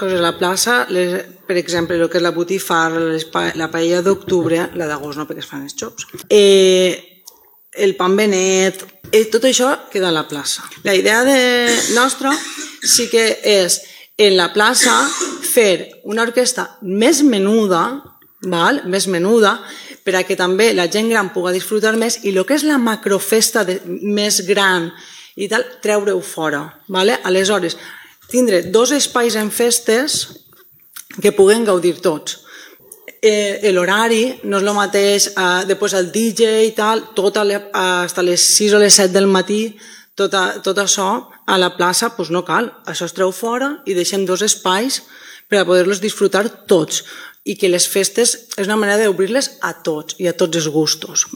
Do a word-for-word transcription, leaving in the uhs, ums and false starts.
coses a la plaça, les, per exemple, el que és la botifarra, la paella d'octubre, la d'agost no, perquè es fan els xops, eh, el pan benet, eh, tot això queda a la plaça. La idea de nostra sí que és en la plaça fer una orquestra més menuda, val? més menuda, per a que també la gent gran pugui disfrutar més i el que és la macrofesta de, més gran i tal, treure-ho fora. Vale? Aleshores, tindre dos espais en festes que puguen gaudir tots. Eh, L'horari no és el mateix, eh, després el D J i tal, tot a le, fins a les sis o les set del matí, tot, a, tot això a la plaça pues no cal, això es treu fora i deixem dos espais per a poder-los disfrutar tots i que les festes és una manera d'obrir-les a tots i a tots els gustos.